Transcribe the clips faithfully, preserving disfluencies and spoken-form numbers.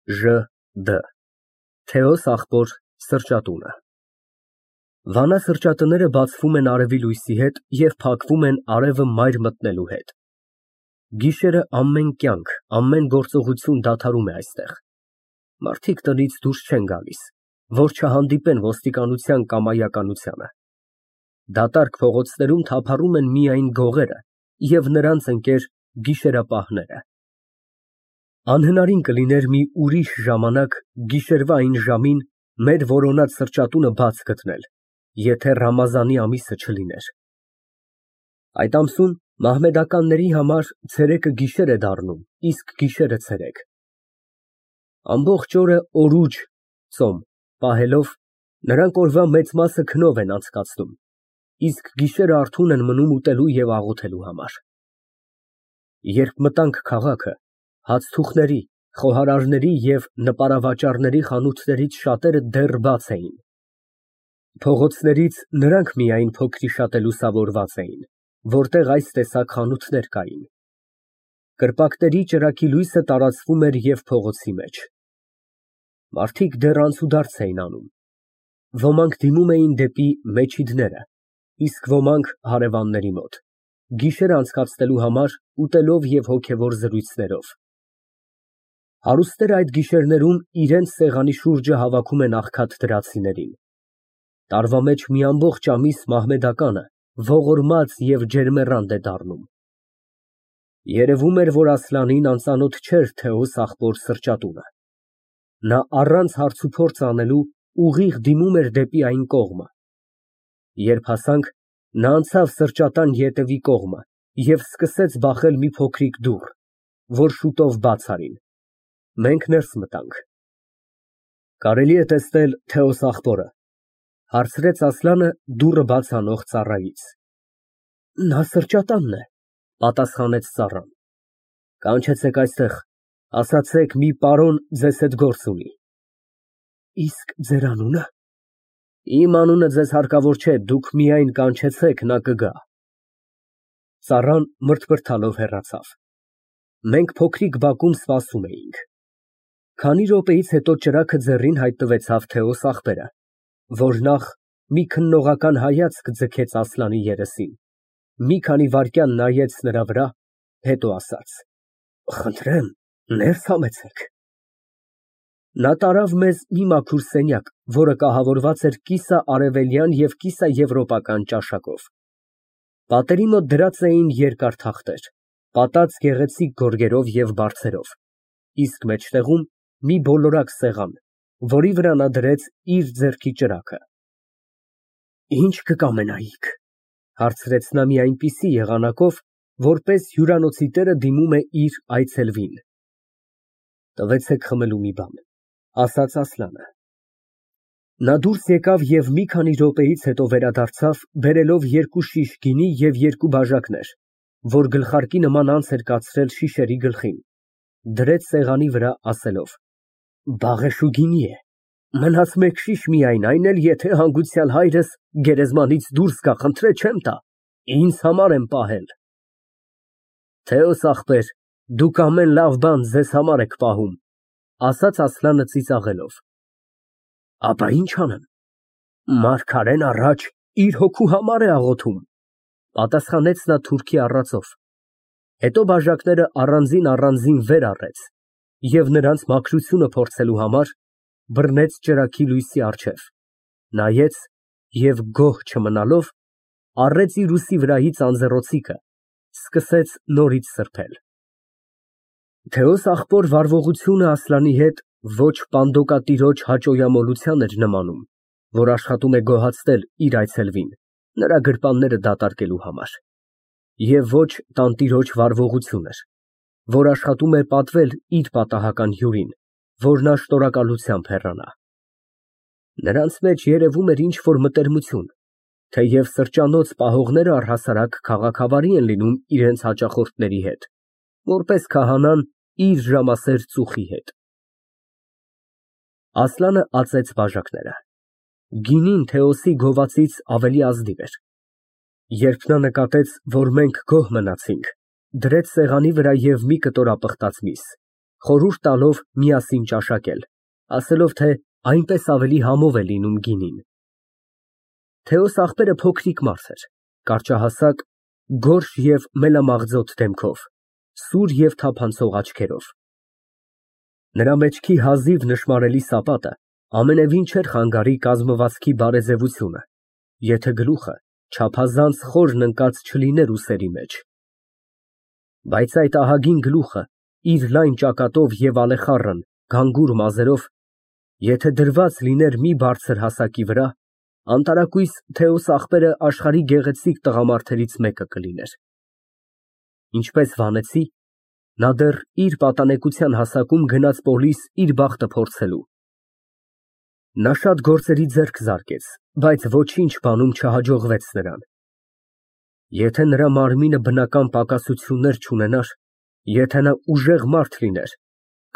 Ժ Դ Թեոս աղբոր սրճատունը Վանա սրճատները բացվում են արևի լույսի հետ և փակվում են արևը մայր մտնելու հետ։ Գիշերը ամեն կյանք, ամեն գործողություն դադարում է այստեղ։ Մարդիկ տնից դուրս չեն գալիս, որ չհանդիպեն ոստիկանության կամայականությանը։ Դատարկ փողոցներում թափառում են միայն գողերը և նրանց ընկեր գիշերապահները։ Անհնարին կլիներ մի ուրիշ ժամանակ գիշերվա այն ժամին մեր որոնած սրճատունը բաց գտնել, եթե Ռամազանի ամիսը չլիներ։ Այդ ամսում մահմեդականների համար ցերեկը գիշեր է դառնում, իսկ գիշերը ցերեկ։ Ամբողջ օրը օրուջ պահելով, նրանք օրվա մեծ մասը քնով են անցկացնում, իսկ գիշերը արթուն են մնում ուտելու և աղոթելու համար։ Երբ մտանք քաղաքը, հացթուխների, խոհարարների և նպարավաճառների խանութներից շատերը դեռ բաց էին։ Փողոցներից նրանք միայն փոքրիշատը լուսավորված էին, որտեղ այս տեսակ խանութներ կային։ Կրպակների ճրագի լույսը տարածվում էր և փողոցի մեջ։ Մարդիկ դեռ անցուդարձ էին անում։ Ոմանք դիմում էին դեպի մեջիդները, իսկ ոմանք հարևանների մոտ, գիշերը անցկացնելու համար ուտելով և հոգևոր զրույցներով։ Հարուստները այդ գիշերներում իրենց սեղանի շուրջը հավաքում են աղքատ դրացիներին։ Տարվա մեջ մի ամբողջ ամիս մահմեդականը ողորմած և ջերմեռանդ է դառնում։ Երևում էր, որ Ասլանին անծանոթ չէր Թեոս աղբոր սրճատունը։ Նա առանց հարցուփորձ անելու ուղիղ դիմում էր դեպի այն կողմը։ Երբ հասանք, նա անցավ սրճատան ետևի կողմը և սկսեց բախել մի փոքրիկ դուռ, որ շուտով բաց արին։ Մենք ներս մտանք։ Կարելի է տեսնել Թեոս աղբորը, ֊ հարցրեց Ասլանը դուռը բաց անող ծառայից։ Նա սրճատանն է, ֊ պատասխանեց ծառան։ Կանչեցեք այստեղ, ասացեք մի պարոն ձեզ հետ գործ ունի։ Իսկ ձեր անունը։ Իմ անունը ձեզ հարկավոր չէ, դուք միայն կանչեցեք, նա կգա։ Ծառան մրթմրթալով հեռացավ։ Մենք փոքրիկ բակում սպասում էինք։ Քանի րոպեից հետո ճրագը ձեռին հայտնվեցավ Թեոս աղբերը, որ նախ մի քննողական հայացք ձգեց Ասլանի երեսին, մի քանի վայրկյան նայեց նրա վրա, հետո ասաց. Խնդրեմ, ներս համեցեք։ Նա տարավ մեզ մի մաքուր սենյակ, որը կահավորված էր կիսաարևելյան և կիսաեվրոպական ճաշակով։ Պատերի մոտ դրած էին երկար թախտեր, պատած գեղեցիկ գորգերով և բարձերով, իսկ մեջտեղում մի բոլորակ սեղան, որի վրա նա դրեց իր ձեռքի ճրագը։ Ինչ կկամենայիք, ֊ հարցրեց նա մի այնպիսի եղանակով, որպես հյուրանոցի տերը դիմում է իր այցելվին։ Տվեցեք խմելու մի բան, ֊ ասաց Ասլանը։ Նա դուրս եկավ և մի քանի րոպեից հետո վերադարձավ, բերելով երկու շիշ գինի և երկու բաժակներ, որ գլխարկի նման անց էր կացրել շիշերի գլխին, դրեց սեղանի վրա, ասելով. Բաղեշու գինի է, մնաց մեկ շիշ միայն, այն էլ եթե հանգուցյալ հայրս գերեզմանից դուրս գա, խնդրե չեմ տա, ինձ համար եմ պահել։ Թեոս աղբեր, դուք ամեն լավ բան ձեզ համար եք պահում, ֊ ասաց Ասլանը ծիծաղելով։ Ապա ինչ անեմ, մարգարեն առաջ իր հոգու համար է աղոթում, ֊ պատասխանեց նա թուրքի առածով, հետո բաժակները առանձին֊առանձին վեր առեց և նրանց մաքրությունը փորձելու համար բռնեց ճրագի լույսի առջև, նայեց և գոհ չմնալով, առեց իր ուսի վրայից անձեռնոցիկը, սկսեց նորից սրբել։ Թեոս աղբոր վարվողությունը Ասլանի հետ ոչ պանդոկատիրոջ հաճոյամոլության էր նմանում, որ աշխատում է գոհացնել իր այցելվին, նրա գրպանները դատարկելու համար, և ոչ տանտիրոջ վարվողություն էր, որ աշխատում է պատվել իր պատահական հյուրին, որ նա շնորհակալությամբ հեռանա։ Նրանց մեջ երևում էր ինչ֊որ մտերմություն, թեև սրճանոց պահողները առհասարակ քաղաքավարի են լինում իրենց հաճախորդների հետ, որպես քահանան իր ժամասեր ծուխի հետ։ Ասլանը ածեց բաժակները։ Գինին Թեոսի գովացից ավելի ազնիվ էր։ Երբ նա նկատեց, որ մենք գոհ մնացինք, դրեց սեղանի վրա և մի կտոր ապխտած միս, Խորհուրդ տալով միասին ճաշակել, ասելով, թե այնպես ավելի համով է լինում գինին։ Թեոս աղբերը փոքրիկ մարդ էր, կարճահասակ, գորշ և մելամաղձոտ դեմքով, սուր և թափանցող աչքերով։ Նրա մեջքի հազիվ նշմարելի սապատը ամենևին չէր խանգարի կազմվածքի բարեձևությունը, եթե գլուխը չափազանց խորն ընկած չլիներ ուսերի մեջ։ Բայց այդ ահագին գլուխը իր լայն ճակատով և ալեխառն, գանգուր մազերով, եթե դրված լիներ մի բարձր հասակի վրա, անտարակույս Թեոս աղբերը աշխարհի գեղեցիկ տղամարդերից մեկը կլիներ։ Ինչպես վանեցի, նա դեռ իր պատանեկության հասակում գնաց պոլիս իր բախտը փորձելու։ Նա շատ գործերի ձեռք զարկեց, բայց ոչինչ բանում չհաջողվեց նրան։ Եթե նրա մարմինը բնական պակասություններ չունենար, եթե նա ուժեղ մարդ լիներ,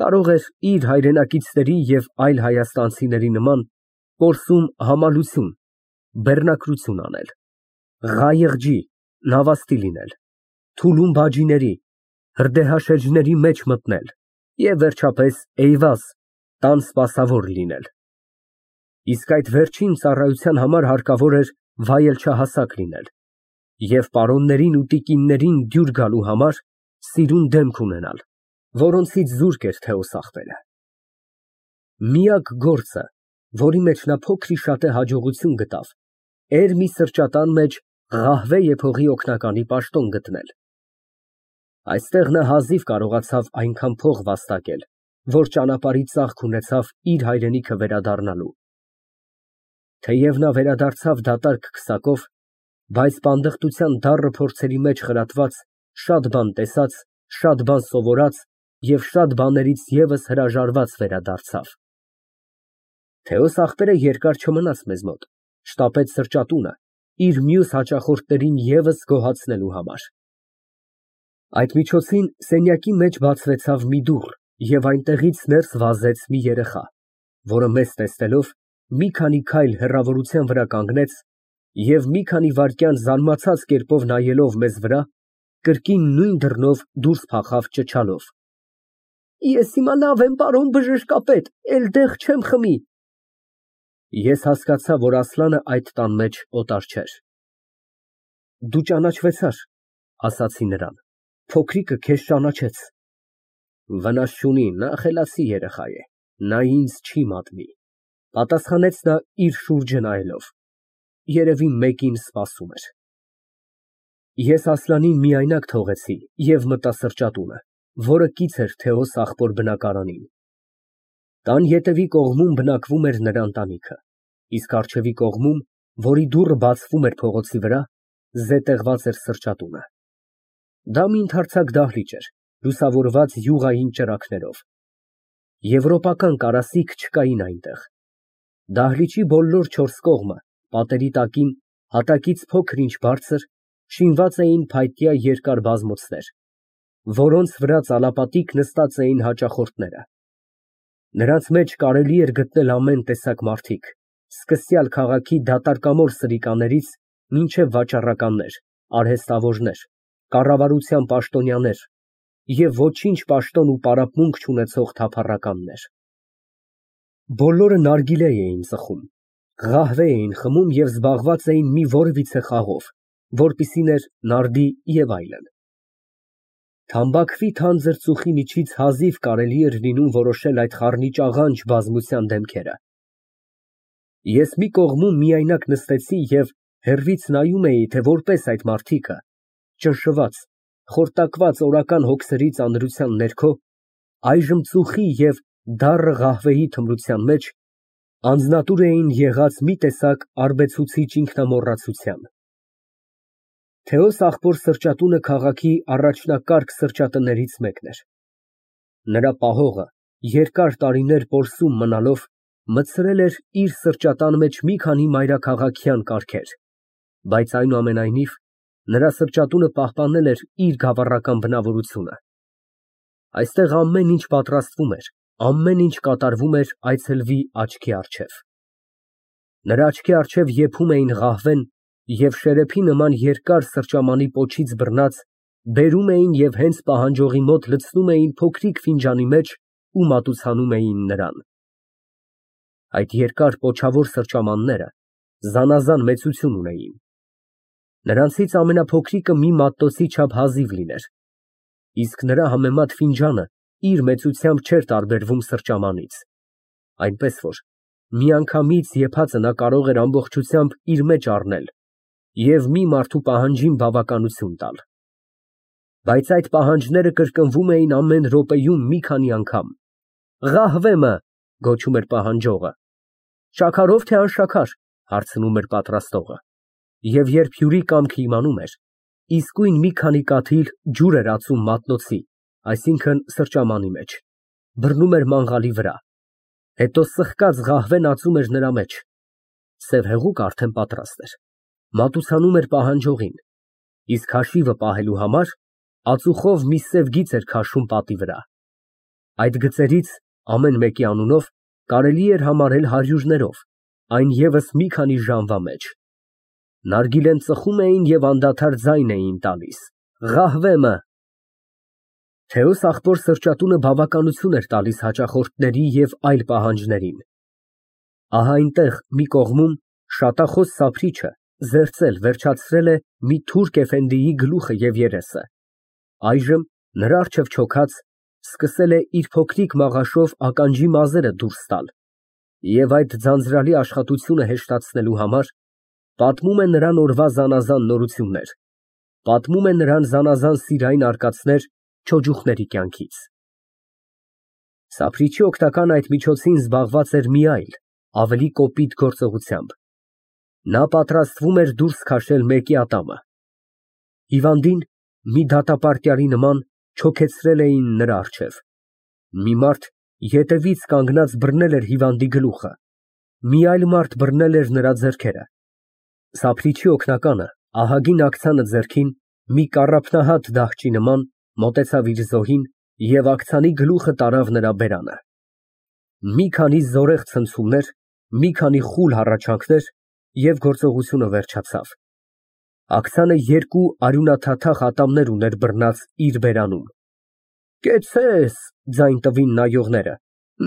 կարող էր իր հայրենակիցների և այլ հայաստանցիների նման պորսում համալություն, բեռնակրություն անել, ղայեղջի, նավաստի լինել, թուլում բաժիների, հրդեհաշեջների մեջ մտնել և, վերջապես, էյվազ, տան սպասավոր լինել։ Իսկ այդ վերջին ծառայության համար հարկավոր էր վայելչահասակ լինել և պարոններին ու տիկիններին դյուր գալու համար սիրուն դեմք ունենալ, որոնցից զուրկ էր Թեոս աղբերը։ Միակ գործը, որի մեջ նա փոքր-ի-շատե հաջողություն գտավ, էր մի սրճարան մեջ ղահվե եփողի օգնականի պաշտոն գտնել։ Այստեղ նա հազիվ կարողացավ այնքան փող վաստակել, որ ճանապարհի ծախք ունեցավ իր հայրենիքը վերադառնալու։ Թեև նա վերադարձավ դատարկ քսակով, բայց բանդըխտության դառը փորձերի մեջ խրատված, շատ բան տեսած, շատ բան սովորած և շատ բաներից ևս հրաժարված վերադարձավ։ Թեոս աղբերը երկար չմնաց մեզ մոտ, շտապեց սրճատունը, իր մյուս հաճախորդներին ևս գոհացնելու համար։ Այդ միջոցին սենյակի մեջ բացվեցավ մի դուռ և այնտեղից ներս վազեց մի երեխա, որը մեզ տեսնելով, մի քանի քայլ հեռավորության վրա կանգնեց և մի քանի վայրկյան զարմացած կերպով նայելով մեզ վրա, կրկին նույն դռնով դուրս փախավ ճչալով. Ես հիմա լավ եմ, պարոն բժշկապետ, էլ դեղ չեմ խմի։ Ես հասկացա, որ Ասլանը այդ տան մեջ օտար չէր։ Դու ճանաչվեցար, ասացի նրան, փոքրիկը քեզ ճանաչեց։ Վնաս չունի, նա խելացի երեխա է, նա ինձ չի մատնի, պատասխանեց նա իր շուրջը նայելով, երևի մեկին սպասում էր։ Ես Ասլանին միայնակ թողեցի և մտա սրճատունը, որը կից էր Թեոս աղբոր բնակարանին։ Տան ետևի կողմում բնակվում էր նրա ընտանիքը, իսկ առջևի կողմում, որի դուռը բացվում էր փողոցի վրա, զետեղված էր սրճատունը։ Դա մի ընդարձակ դահլիճ էր, լուսավորված յուղային ճրագներով։ Եվրոպական կարասիք չկային այնտեղ։ Դահլիճի բոլոր չորս կողմը, պատերի տակին, հատակից փոքր-ինչ բարձր, շինված էին փայտյա երկար բազմոցներ, որոնց վրա ծալապատիկ նստած էին հաճախորդները։ Նրանց մեջ կարելի էր գտնել ամեն տեսակ մարդիկ, սկսյալ քաղաքի դատարկամոր սրիկաներից մինչև վաճառականներ, արհեստավորներ, կառավարության պաշտոնյաներ և ոչինչ պաշտոն ու պարապմունք չունեցող թափառականներ։ Բոլորը նարգիլե էին ծխում, ղահվե էին խմում և զբաղված էին մի որևիցե խաղով, որպիսին էր նարդի և այլն։ Թամբաքվի թանձր ծուխի միջից հազիվ կարելի էր լինում որոշել այդ խառնիճաղանճ բազմության դեմքերը։ Ես մի կողմում միայնակ նստեցի և հեռվից նայում էի, թե որպես այդ մարդիկը, ճնշված, խորտակված օրական հոգսերի ծանրության ներքո, այժմ ծուխի և դառը ղահվեի թմրության մեջ, անձնատուր էին եղած մի տեսակ արբեցուցիչ ինքնամոռացության։ Թեոս աղբոր սրճատունը քաղաքի առաջնակարգ սրճատներից մեկն էր։ Նրա պահողը, երկար տարիներ պորսում մնալով, մտցրել էր իր սրճատան մեջ մի քանի մայրաքաղաքյան կարգեր, բայց այնուամենայնիվ, նրա սրճատունը պահպանել էր իր գավառական բնավորությունը։ Այստեղ ամեն ինչ պատրաստվում էր, ամեն ինչ կատարվում էր այցելվի աչքի առջև։ Նրա աչքի առջև եփում էին ղահվեն և շերեփի նման երկար սրճամանի պոչից բռնած բերում էին և հենց պահանջողի մոտ լցնում էին փոքրիկ ֆինջանի մեջ ու մատուցանում էին նրան։ Այդ երկար պոչավոր սրճամանները զանազան մեծություն ունեին։ Նրանցից ամենափոքրիկը մի մատնոցի չափ հազիվ լիներ, իսկ նրա համեմատ ֆինջանը իր մեծությամբ չէր տարբերվում սրճամանից, այնպես որ միանգամից եփածը նա կարող էր ամբողջությամբ իր մեջ առնել և մի մարդու պահանջին բավականություն տալ։ Բայց այդ պահանջները կրկնվում էին ամեն րոպեում մի քանի անգամ։ «Ղահվեմը», գոչում էր պահանջողը։ «Շաքարով, թե անշաքար», հարցնում էր պատրաստողը, և երբ հյուրի կամքը իմանում էր, իսկույն մի քանի կաթիլ ջուր էր ածում մատնոցի, այսինքն սրճամանի մեջ, բռնում էր մանգաղի վրա, հետո սխկած ղահվեն ածում էր նրա մեջ, սև հեղուկը արդեն պատրաստ էր, մատուցանում էր պահանջողին, իսկ հաշիվը պահելու համար ածուխով մի սև գիծ էր քաշում պատի վրա։ Այդ գծերից ամեն մեկի անունով կարելի էր համարել հարյուրներով, այն ևս մի քանի ժամվա մեջ։ Նարգիլեն ծխում էին և անդադար ձայն էին տալիս. «Ղահվեմը»։ Թեոս աղբոր սրճատունը բավականություն էր տալիս հաճախորդների և այլ պահանջներին։ Ահա այնտեղ մի կողմում շատախոս սափրիչը զերծել, վերջացրել է մի թուրք էֆենդիի գլուխը և երեսը, այժմ նրա առջև չոքած սկսել է իր փոքրիկ մաղաշով ականջի մազերը դուրս տալ և այդ ձանձրալի աշխատությունը հեշտացնելու համար պատմում է նրան օրվա զանազան նորություններ, պատմում է նրան զանազան սիրային արկածներ չոջուխների կյանքից։ Սափրիչի օգնականն այդ միջոցին զբաղված էր մի այլ, ավելի կոպիտ գործողությամբ։ Նա պատրաստվում էր դուրս քաշել մեկի ատամը։ Հիվանդին մի դատապարտյալի նման չոքեցրել էին նրա առջև։ Մի մարդ ետևից կանգնած բռնել էր հիվանդի գլուխը, մի այլ մարդ բռնել էր նրա ձեռքերը։ Սափրիչի օգնականը ահագին աքցանը ձեռքին մի կառափնահատ դահճի նման մոտեցավ իր զոհին և աքցանի գլուխը տարավ նրա բերանը։ Մի քանի զորեղ ցնցումներ, մի քանի խուլ հառաչանքներ, և գործողությունը վերջացավ։ Աքցանը երկու արյունաթաթախ ատամներ ուներ բռնած իր բերանում։ «Կեցցես», ձայն տվին նայողները,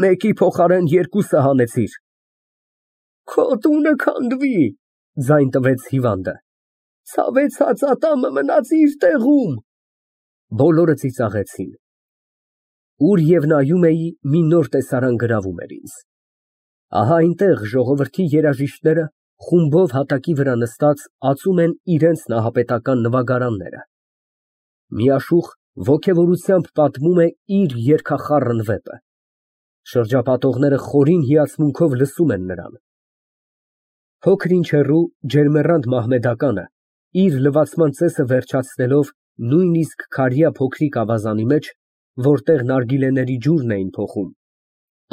«մեկի փոխարեն երկուսը հանեցիր»։ «Քո տունը քանդվի», ձայն տվեց հիվանդը, «ցավեցած ատամը մնաց իր տեղում»։ Բոլորը ծիծաղեցին։ Ուր և նայում էի, մի նոր տեսարան գրավում էր ինձ։ Ահա այնտեղ ժողովրդի երաժիշտները խումբով հատակի վրա նստած ածում են իրենց նահապետական նվագարանները։ Մի աշուխ ոգևորությամբ պատմում է իր երգախառն վեպը։ Շրջապատողները խորին հիացմունքով լսում են նրան։ Փոքր-ինչ հեռու ջերմեռանդ մահմեդականը իր լվացման ծեսը վերջացնելով նույնիսկ քարյա փոքրիկ ավազանի մեջ, որտեղ նարգիլեների ջուրն էին փոխում,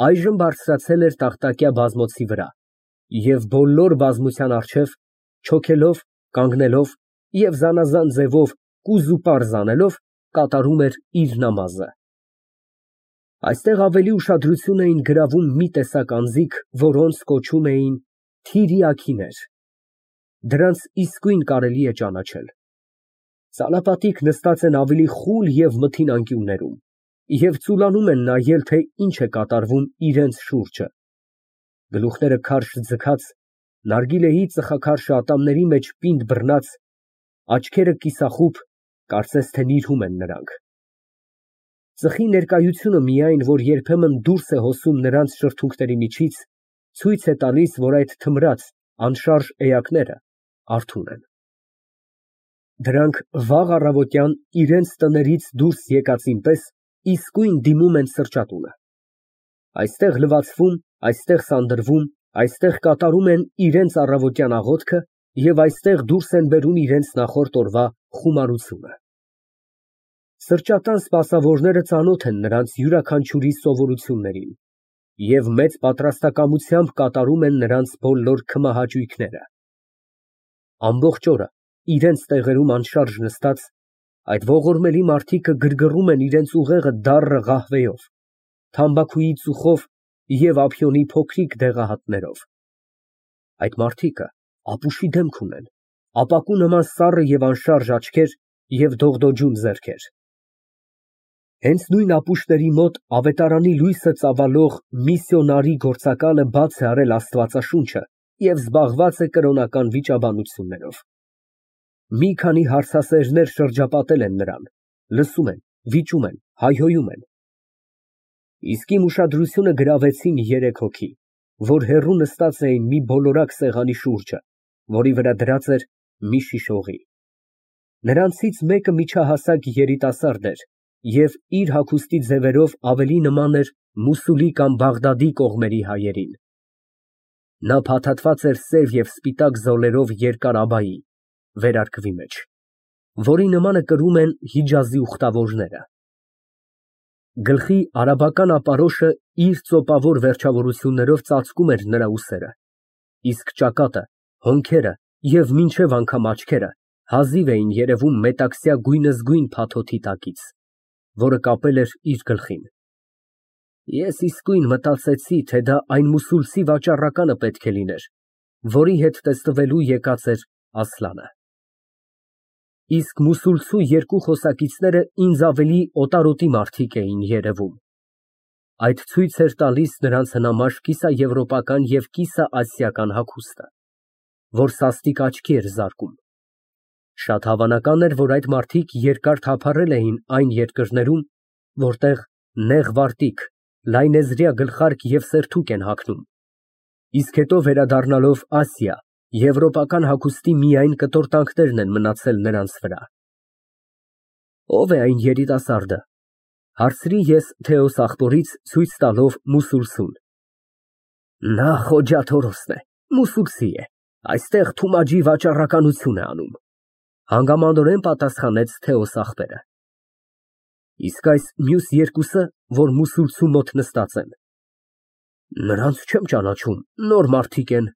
այժմ բարձրացել էր տախտակյա բազմոցի վրա և բոլոր բազմության առջև, չոքելով, կանգնելով և զանազան ձևով կուզուպարզ անելով, կատարում էր իր նամազը։ Այստեղ ավելի ուշադրություն էին գրավում մի տեսակ անձինք, որոնց կոչում էին թիրիաքիներ։ Դրանց իսկույն կարելի է ճանաչել։ Ծալապատիկ նստած են ավելի խուլ և մթին անկյուններում և ծուլանում են նայել, թե ինչ է կատարվում իրենց շուրջը։ Գլուխները քարշ ձգած, նարգիլեի ծխաքարշը ատամների մեջ պինդ բռնած, աչքերը կիսախուբ, կարծես թե նիրհում են նրանք։ Ծխի ներկայությունը միայն, որ երբեմն դուրս է հոսում նրանց շրթունքների միջից, ցույց է տալիս, որ այդ թմրած, անշարժ էակները արթուն են։ Դրանք վաղ առավոտյան իրենց տներից դուրս եկածին պես իսկույն դիմում են սրճատունը։ Այստեղ լվացվում, այստեղ սանդրվում, այստեղ կատարում են իրենց առավոտյան աղոթքը և այստեղ դուրս են բերում իրենց նախորդ օրվա խումարությունը։ Սրճատան սպասավորները ծանոթ են նրանց յուրաքանչյուրի սովորություններին և մեծ պատրաստակամությամբ կատարում են նրանց բոլոր քմահաճույքները։ Ամբողջ օրը իրենց տեղերում անշարժ նստած, այդ ողորմելի մարդիկը գրգռում են իրենց ուղեղը դառը ղահվեյով, թամբաքուի ծուխով և ափիոնի փոքրիկ դեղահատներով։ Այդ մարդիկը ապուշի դեմք ունեն, ապակու նման սառը և անշարժ աչքեր և դողդոջուն ձեռքեր։ Հենց նույն ապուշների մոտ ավետարանի լույսը ծավալող միսիոնարի գործակալը բաց է արել Աստվածաշունչը և զբաղված է կրոնական վիճաբանություններով։ Մի քանի հարցասերներ շրջապատել են նրան, լսում են, վիճում են, հայհոյում են։ Իսկ իմ ուշադրությունը գրավեցին երեք հոգի, որ հեռու նստած էին մի բոլորակ սեղանի շուրջը, որի վրա դրած էր մի շիշ օղի։ Նրանցից մեկը միջահասակ երիտասարդ էր և իր հագուստի ձևերով ավելի նման էր Մոսուլի կամ Բաղդադի կողմերի հայերին։ Նա փաթաթված էր սև և սպիտակ զոլերով երկար աբայի (վերարկվի մեջ), որի նմանը կրում են Հիջազի ուխտավորները։ Գլխի արաբական ապարոշը իր ծոպավոր վերջավորություններով ծածկում էր նրա ուսերը, իսկ ճակատը, հոնքերը և մինչև անգամ աչքերը հազիվ էին երևում մետաքսյա գույնզգույն փաթոթի տակից, որը կապել էր իր գլխին։ Ես իսկույն մտածեցի, թե դա այն մուսուլցի վաճառականը պետք է լիներ, որի հետ տեսնվելու եկած էր Ասլանը։ Իսկ մուսուլցու երկու խոսակիցները ինձ ավելի օտարոտի մարդիկ էին երևում։ Այդ ցույց էր տալիս նրանց հնամաշ կիսաեվրոպական և կիսաասիական հագուստը, որ սաստիկ աչքի էր զարկում։ Շատ հավանական էր, որ այդ մարդիկ երկար թափառել էին այն երկրներում, որտեղ նեղ վարտիք, լայնեզրյա գլխարկ և սերթուկ են հագնում, իսկ հետո վերադառնալով Ասիա, եվրոպական հագուստի միայն կտորտանքներն են մնացել նրանց վրա։ Ո՞վ է այն երիտասարդը, հարցրի ես Թեոս աղբորից, ցույց տալով մուսուլցուն։ Նա Խոջա Թորոսն է, մուսուլցի է, այստեղ Թումաջի վաճառականություն է անում, հանգամանորեն պատասխանեց Թեոս աղբերը։ Իսկ այս մյուս երկուսը, որ մուսուլցու մոտ նստած են։ Նրանց չեմ ճանաչում, նոր մարդիկ են,